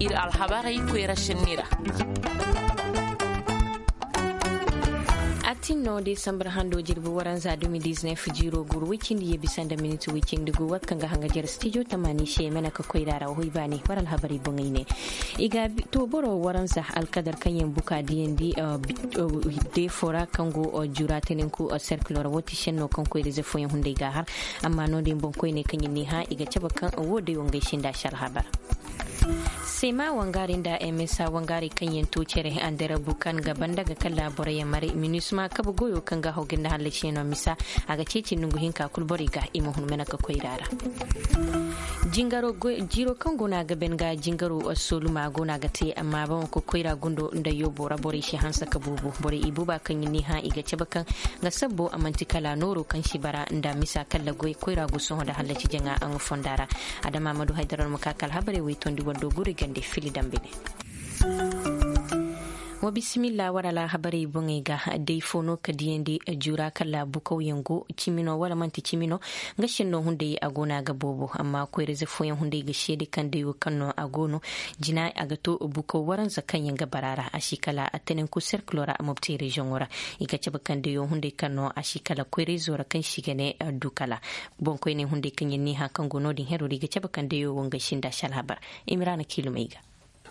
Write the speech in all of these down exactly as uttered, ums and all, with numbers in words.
Iri alhabarey koyra sinni ra. A tin no desambar hando jirbi waranza dumi diznef jiiro guru way cindi ye bisa nda miniti way cindi gu wat kaŋ ga hanga jare stijo tamani se mana ka koyra ra hoy baani war alhabarey boŋey ne. I ga to boro waranza alkadar kaŋ yaŋ buka diyandi defo ra kaŋ go jura teninku serkilo ra wati senno kaŋ koyra ize fooyaŋ hunday ga har. Amma no din boŋ koyne kaŋ yaŋ ni hã i ga cabe kaŋ wo day wo ngey sinda si alhabar. Sema wangari nda msa wangari kaŋ yaŋ to cere andarabu kaŋ ga banda ga kala borey yaŋ mare minisma kabe goyo kaŋ ga hawgin da hallasi no misa. A ga ceeci nongu hinka kulu borey ga i ma hun mena ka koyra ra. Jingaro jiiro kaŋ go no a ga ben ga jingaro soluma go no a ga te amma ba wanka koyra gundo nda yobo ra borey si hanse ka buubu borey i buuba kaŋ yaŋ ni hã i ga cabe kaŋ nga sabbo a manti kala nooro kaŋ si bara nda misa kala goy koyra go sohõ nda hallasi jaŋa a nga fonda ra. Adama ma du haydara no ma ka kala habarey way tondi wando guri gande fili dambe ne. Wa bisimilla wara la habarey boŋey ga day fo no ka diyandi jura kala bukawyaŋ go cimi no wala manti cimi no. Nga senno hunday a go no a ga boobo amma koyra ize fooyaŋ hunday ga seede kaŋ day wo kaŋ no a go no. Jina a ga to bukaw waranza kaŋ yaŋ ga bara ra a si kala a tenenku serkilo ra a mobti reziyoŋo ra. I ga cabe kaŋ day wo hunday kaŋ no a si kala koyra izo ra kaŋ si ga ne du kala boŋkoyney hunday kaŋ yaŋ ni hã kaŋ go no- din hero ra i ga cabe kaŋ day wo wo ngey sinda si alhabar. Imiraana kiilumey ga.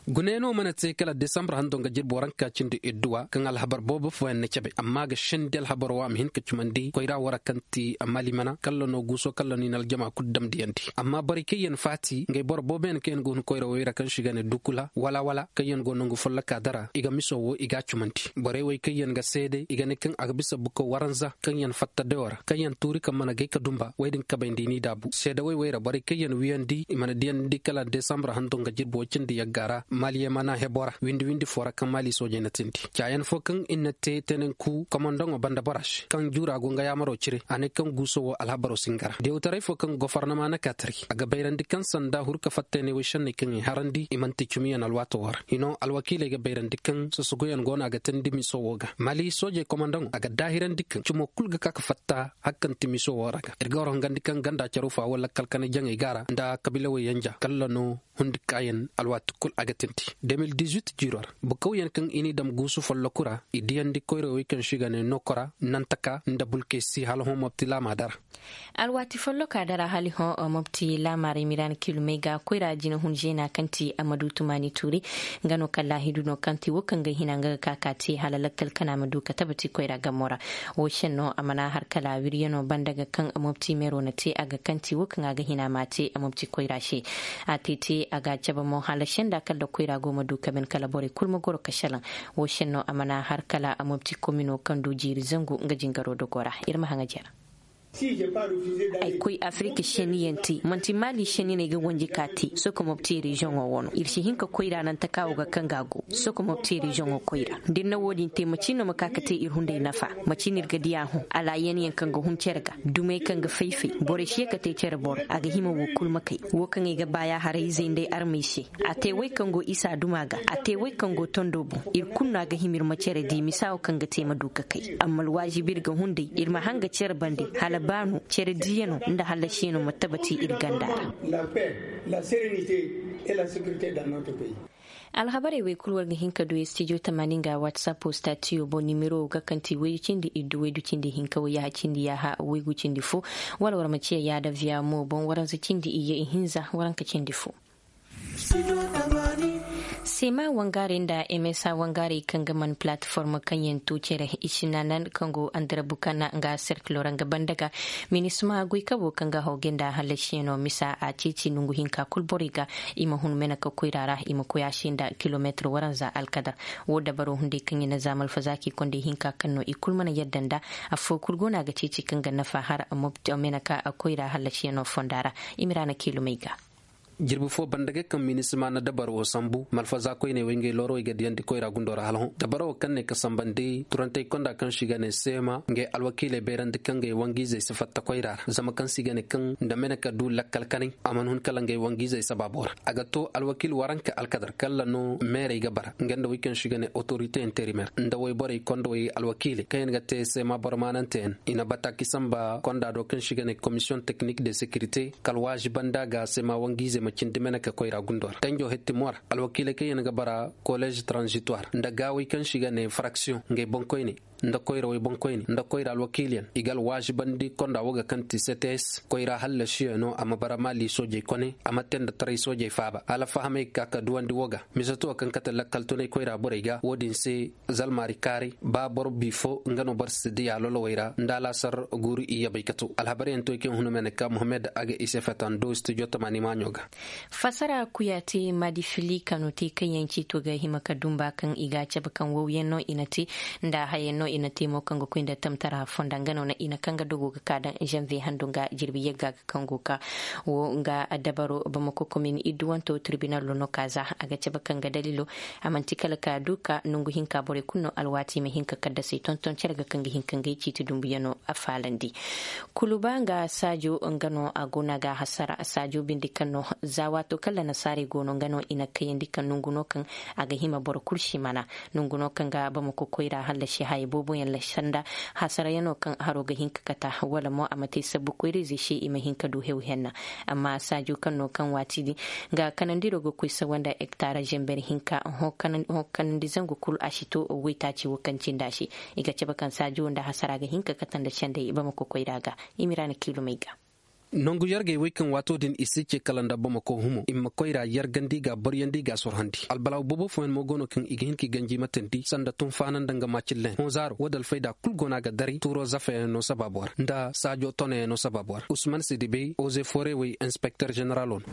Gune no mana te kala desambar hando nga jirbi waranka cindi idduwa kaŋ alhabar boobo fooyaŋ na cabe amma ga sendi alhabaro wo a ma hin ka cumandi koyra wo ra kaŋ ti malimana kala no guuso kala no i na aljama kulu damdiyandi amma borey kaŋ yaŋ faati ngey boro boobo yaŋ kaŋ yaŋ go hin koyra wo ra kaŋ si ga ne dukula wala wala kaŋ yaŋ go nangu folloka dara i ga miso wo i ga a cumandi. Borey wo kaŋ yaŋ ga seede i ga ne kaŋ a ga bisa buko waranza kaŋ yaŋ fatta dayo ra kaŋ yaŋ tuuri kaŋ mana gay ka dumba wo- din kabay nda i n'i daabu seedawey wo ra borey kaŋ yaŋ wiyandi i mana diyandi kala desambre hando nga jirbi wo cindi yagga ra maali yamana hebo ra windi windi fo ra kaŋ maali soojey na tindi caayaŋ fo kaŋ i na te tenenku komandaŋo banda bora se kaŋ juura go nga yaamaro cire a ne kaŋ guuso wo alhabaro si nga ra diyawtaray fo kaŋ gofornama na ka tari a ga bayrandi kaŋ sanda hurka fatteeney way senney kaŋ i harandi i manti cumiyaŋ alwaato wo ra hino alwakiiley ga bayrandi kaŋ sosogoyaŋ go no a ga teendi miso wo ga maali soojey komandaŋo a ga daahirandi kaŋ cumo kulu ga ka ga fatta hari kaŋ ti miso wo ra ga iri ga war hongandi kaŋ ganda caro fa wo lakkal kanay jaŋey ga ra nda kabiila way yanja kala no hundi kaayaŋ alwaati kulu a ga teendi. De mil dizuit jiiro ra bukawyaŋ kaŋ i n'i daŋ guusu folloku ra i diyandi koyra way kaŋ se i ga ne nooko ra nantaka nda bulkesi hala hõ mobti laama dara. Alwaati folloka dara hala hõ mobti laama ra i ma iraana kiilumey ga koyra jina hun zeena kaŋ ti a ma du tumaani tuuri. Nga no kala laahidu no kaŋ ti wo kaŋ ga hina nga ga ka ka te hala lakkal kana ma du ka tabati koyra gamo ra. Wo senno a mana har kala wiriyano banda ga kaŋ mobti meero na te a ga kaŋ ti wo kaŋ a ga hina ma te mobti koyra se. A te te a ga cabe mo hala senda kala koyra go ma du ka ben kala borey kulu ma goro ka salaŋ. Wo senno a mana har kala mobti komino kaŋ du jiiri zangu nga jingaro dogo ra iri ma haŋa jere. Ay koy afirika seniyaŋ te manti maali seni no ay ga wanji ka te sokomobti reziyoŋo wo no iri si hin ka koyra naŋ taka wo ga kaŋ ga go sokomobti reziyoŋo koyra da iri na wo- din te macin no ma ka ga te iri hunday nafa. Macin iri ga di a hõ alaayan yaŋ kaŋ ga hun care ga dumey kaŋ ga fay-fay borey si ye ka te care boro a ga hima wo kulu ma kay. Wo kaŋ ay ga ba ya haray izey nda ay armey se a te way kaŋ go isa duma ga a te way kaŋ go tondo boŋ. Iri kulu no a ga hima iri ma care di misa wo kaŋ ga te ma du ka kay amma alwaazibi iri ga hunday iri ma hanga care bande hala baano care diyano nda hallasiyano ma tabati iri ganda ra. Alhabarey wo kulu war ga hin ka du studio tamaani nga whatsapp statiyo boŋ nimero wo ga kaŋ ti waydu cindi iddu waydu cindi hinka wayyaha cindi yaaha waygu cindi fo. Wala war ma ciya yaada viya mo boŋ waranza cindi iyye ihinza waranka cindi fo. Sema wangare nda msa wangare kaŋ ga man platform kaŋ yaŋ to cere i sinaanan kaŋ go andarabu kana nga serkilo ra nga banda ga minisma goy kabo kaŋ ga hawge nda hallasiyano misa a ceeci nongu hinka kulu borey ga. I ma hun mena ka koyra ra i ma koy a se nda kilometre waranza alkadar. Wo dabaro hunday kaŋ i na za malfazaaki kondey hinka kaŋ no i kulu mana yadda nda. Affo kulu go no a ga ceeci kaŋ ga nafa har mena ka koyra hallasiyano fonda ra. I ma ra na kiilumey ga. Jirbi fo banda ga kaŋ minisma na dabaro wo sambu malfaza koyney wo ngey looro i ga diyandi koyra gundo ra hala hõ dabaro wo kaŋ ne ka sambandi turantey konda kaŋ se i ga ne seema ngey alwakiiley bayrandi kaŋ ngey wangu-izey si fatta koyra ra zama kaŋ se i ga ne kaŋ nda mene ka du lakkal kanay a mana hun kala ngey wangu-izey sabaabo ra. A ga to alwakiil waranka alkadar kala no meerey ga bara nga nda wey kaŋ se i ga ne otorite interimer nda wayborey kondowey alwakiiley kaŋ yaŋ ga te seema boro maanante yaŋ i na bataaki samba konda do kaŋ se i ga ne komisiyoŋ teknik de sekirite kala waazi banda ga seema wangu-ize. ma cindi mene ka koyra gundo ra danjo hetti mo ra. Alwakiiley kaŋ yaŋ ga bara koleez transitoire nda gaawey kaŋ se i ga ne fraksiyoŋ ngey boŋkoyne nda koyra way boŋkoyne nda koyra alwakiiliyaŋ i ga alwaazibandi konda wo ga kaŋ ti cts koyra hallasiyaŋo a ma bara maali soojey kone a ma te nda taray soojey faaba hala fahamey ga ka ka duwandi wo ga. Misato kaŋ kate lakkal tunay koyra borey ga wo- din se zalmaari kaaray ba boro bi fo nga no boro si diya lolowey ra nda alaasar guuru iyye bay ka to alhabaryaŋ to i kaŋ huna mene ka mohammed a ga i se fetan do studio tamaani maaɲo ga. Fasara kuya te maadi fili kano te kaŋ yaŋ ciito ga hima ka dumba kaŋ i ga a cabe kaŋ wawyaŋ no i na te nda hayaŋ no i na te mo kaŋ ga koy nda tamtara fonda nga no i na kaŋ ga dogo ga ka daŋ janvier hando ga jirbi yagga ga kaŋ go ka wo nga dabaro bamako komin idduwanto tirbinalo no ka za a ga cabe kaŋ ga dalilo a manti kala ka du ka nangu hinka borey kulu no alwaati i ma hin ka kaddasey tonton care ga kaŋ ga hin ka ngey ciiti dumbuyaŋo a faalandi. Kuluba nga saajo nga no a go no a ga a hasara saajo bindi kaŋ no za waato kaŋ lanasaarey go no nga no i na kayandi ka nangu no kaŋ a ga hima boro kulu si mana nangu no kaŋ ga bamako koyra hallasi haya boobo yaŋ la sanda hasarayaŋo kaŋ haro ga hin ka kata wala mo a ma te sabbu koyra ize se i ma hin ka du hew henna. Amma saajo kaŋ no kaŋ waati din ga kanandiro ga koy sawanda hektara zember hinka ho kanandi zangu kulu a si to waytaaci wo kaŋ cindi a se. I ga cabe kaŋ saajo nda hasara ga hin ka kate nda sendey bamako koyra ga. I ma ira na kiilumey ga. Nangu yargey wey kaŋ waato din i si ce kala nda bamako humo i ma koyra yargandi ga boryandi ga sorhandi albalaaw boobo fooyaŋ mo go no kaŋ i ga hin ka i ganji matandi sanda tunfaana nda nga maacillen hõ zaaro wo- din alfayda kulu go no a ga daray tuuro zafayaŋ no sabaabo ra nda saajo tonayaŋ no sabaabo ra usman sidibey oze foore wey inspekter zeneralo no.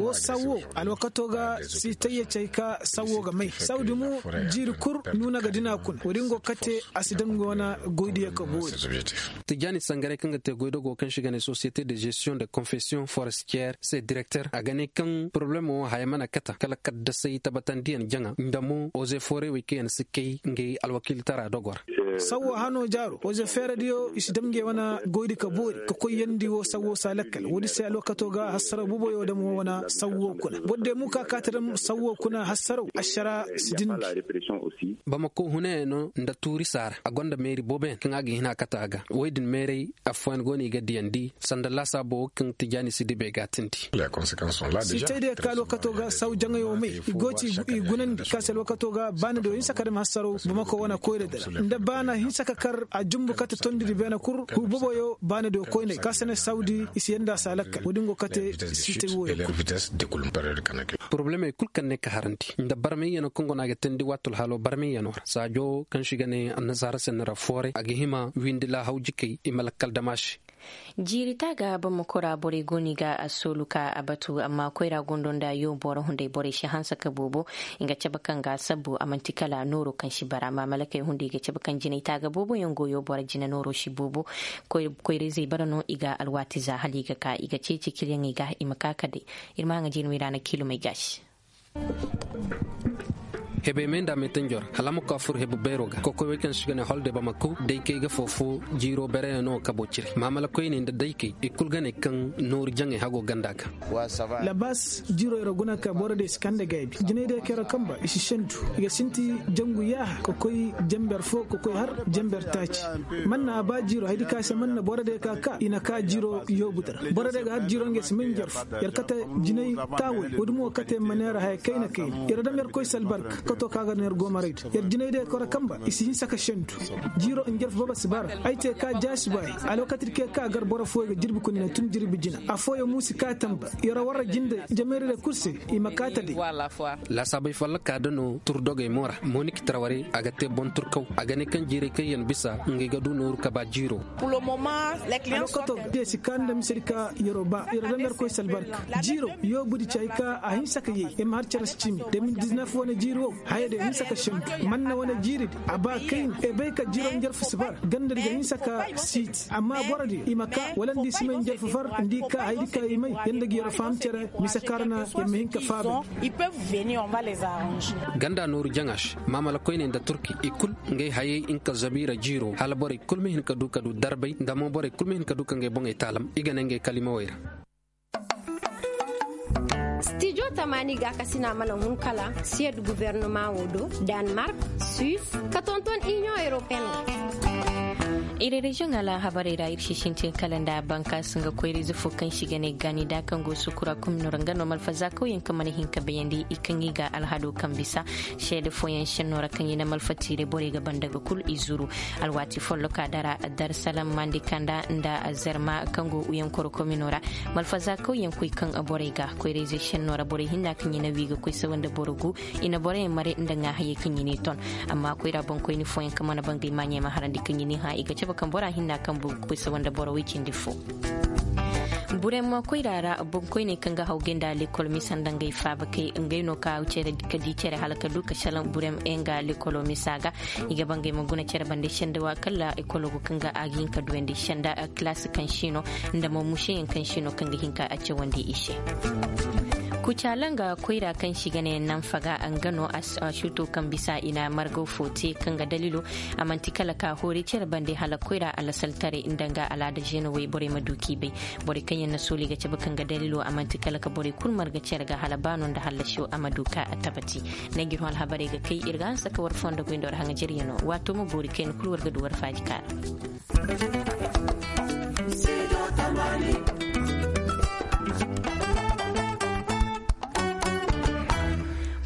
Wo sawo alwakato ga si tayyacey ka sawo ga may saw din mo jiiri kulu nuuna ga dina kuna wo- din go kate a si daŋ nga wane goydiyo ka boori. Tijaani sangaray kaŋ ga te goydogo kaŋ se i ga ne société de gestion de confession forestière se directeur a ga ne kaŋ poroblemo wo haya mana kata kala kaddasay tabatandiyaŋ jaŋa nda mo oze foore wey kaŋ yaŋ si kay ngey alwakiiltara dogo ra. Sawwo hano jaaro oze feeradiyo i si dam ngey wane goydi ka boori ka koy yandi wo sawwo si a lakkal wo- din se alwakato ga hassaraw boboyo dam wo wane sawwo kuna boro day mo ka kaati dam sawwo kuna hassaraw ašara si dindi. Bamako hunayaŋ no nda tuuri saara a gonda meeri booboyaŋ kaŋ a ga hina kata a ga wo- din meeray afooyaŋ go no i ga diyandi sanda laasaabo wo kaŋ tijaani si dibe ga tindi. Sitay diya ka alwakato ga saw jaŋayo may i go ti i gunandi ka se alwakato ga baana diyo hinsa ka dama hassaro bamako wana koyra dira nda baana hinsa ka kar a jumbu kate tondiri beena kul huboboyo baana diyo koynay ka se ne sawdi i si yanda sa lakkal wo- din go kate sitay woyo kul. Porobalemey kulu kaŋ ne ka harandi nda barmayyano kaŋ go no a ga teendi waati alhaalo barmayyano ra saajo kaŋ se i ga ne annasaara se ni ra fooray a ga hima windi laahaw jikey i ma lakkal dama se. Jiiri taaga bamako ra borey go no i ga a soolu ka a batu amma koyra gondo nda yoobo ra hunday borey si hanse ka boobo. I ga cabe kaŋ ga a sabbu a manti kala nooro kaŋ si bara maamalakey hunday i ga cabe kaŋ jinay taaga boobo yaŋ go yoobo ra jina nooro si boobo. Koyra izey bara no i ga alwaati za hala i ga ka i ga ceeci kiliyaŋey ga i ma ka ka day. Iri ma haŋa jiiri may ra na kiilumey gaasi. Hebey me nda me tanjo ra hala a ma koy a furo hebu beero ga kokoy wey kaŋ se i ga ne holde bamako daykey ga fofo jiiro bereyaŋo kabo cire maamala koyney nda daykey i kulu ga ne kaŋ nooru jaŋey hago ganda ga. Labas jiiro yaro guna ka boro day si kande gaybi jinay day kero kamba i si sentu i ga sinti jangu yaaha ka koy jamber fo ka koy har jamber taaci. Manna a ba jiiro hay di ka se manna boro day ka ka i na ka jiiro yoobu dira boro day ga har jiiro ngey si may njarfu. Yar kate jinay taawey wo- din mo kate ma neera haya kayna kayna yar dam yar koy si albarka kato ka ga neera goomaray do yar jinay day koro kamba i si hinsa ka sentu. Jiiro njarfu baba si bara ay te ka jaasi baay. Alwakati di ke ka gar boro fooyo ga jirbi kuna ne tun jirbi jina afooyo mo si ka tamba. Yar warra jinde jameeri day kulu se i ma kaata day. Laasaabey folloka da no turdogey mo ra mooni ka tarwarey a ga te boŋ turkaw a ga ne kaŋ jiirey kaŋ yaŋ bisa ngey ga du nooru ka ba jiiro. Alwakato ga day si kaanu nda mise di ka yaro ba yaro daŋ da irkoy si albarka. Jiiro yoobu di ci hay ka a hinsa ka yay ay ma har care si cimi de mil diznef wane jiiri wo. Haya day hinsa ka sentu manna wane jiiri di a ba kayna ay bay ka jiiro njarfu si bara ganda di ga hinsa ka siiti amma boro di i ma ka wala nda i si may njarfu far nda i ka hay di ka i may yanda ga yaro faham care mise kaŋ ra na yar ma hin ka faaba. Ganda nooru jaŋa se maamala koyney nda turki i kulu ngey hayey nga zabiira jiiro hala borey kulu ma hin ka du ka du darbay nda mo borey kulu ma hin ka du ka ngey boŋey taalam i ga ne ngey kalimawey ra. Stijo tamaani gaakasina mana hun kala siyed gubernama wo do danmark, suisse ka tonton inion europeen ga. Iri reziyoŋ alhabarey ra iri si sintin kala nda bankaasi nga koyra ize fo kaŋ se i ga ne ganida kaŋ go sukura komino ra nga no malfaza kawyaŋ kaŋ mana hin ka bayandi i kaŋ i ga alhado kaŋ bisa seede fooyaŋ senno ra kaŋ i na malfa tiire borey ga banda ga kulu i zuru. Alwaati folloka dara darsalam mandi kanda nda zarma kaŋ go uyankoro komino ra malfaza kawyaŋ koy kaŋ borey ga koyra ize senno ra borey hinna kaŋ i na wi ga koy sawa nda boro gu i na borey mare nda ŋaahayey kaŋ i n'i ton. Amma koyra boŋkoyni fooyaŋ kaŋ mana bangay maaɲey ma harandi kaŋ i n'i hã i ga cabe kaŋ bora hinna kaŋ bu ga koy sawa nda boro way cindi fo. Burema koyra ra boŋkoyney kaŋ ga hawgay nda lekol misa nda ngey faabakey ngey no ka di care hala ka du ka salaŋ burem nga lekolo misa ga. I ga bangay ma guna care bande senda wa kala ekolo go kaŋ ga a ga hin ka duyandi senda kilaasi kaŋ sino nda mo museyaŋ kaŋ sino kaŋ ga hin ka a cawandi i se. Kucaala nga koyra kaŋ se i ga ne nanfaga nga no a suuto kaŋ bisa i na margaw fo te kaŋ ga daliilo a manti kala ka hoori care bande hala koyra alasaltaray nda nga alaada zeeno wayborey ma du k'i bay. Borey kaŋ yaŋ na sooli ga cabe kaŋ ga daliilo a manti kala ka borey kulu marga care ga hala baano nda hallasiyo a ma du ka tabati. Nangir ho alhabarey ga kay iri ga hanse ka war fondo goy nda war haŋajeryano waato ma boori kayna kulu war ga du war faaji kaara.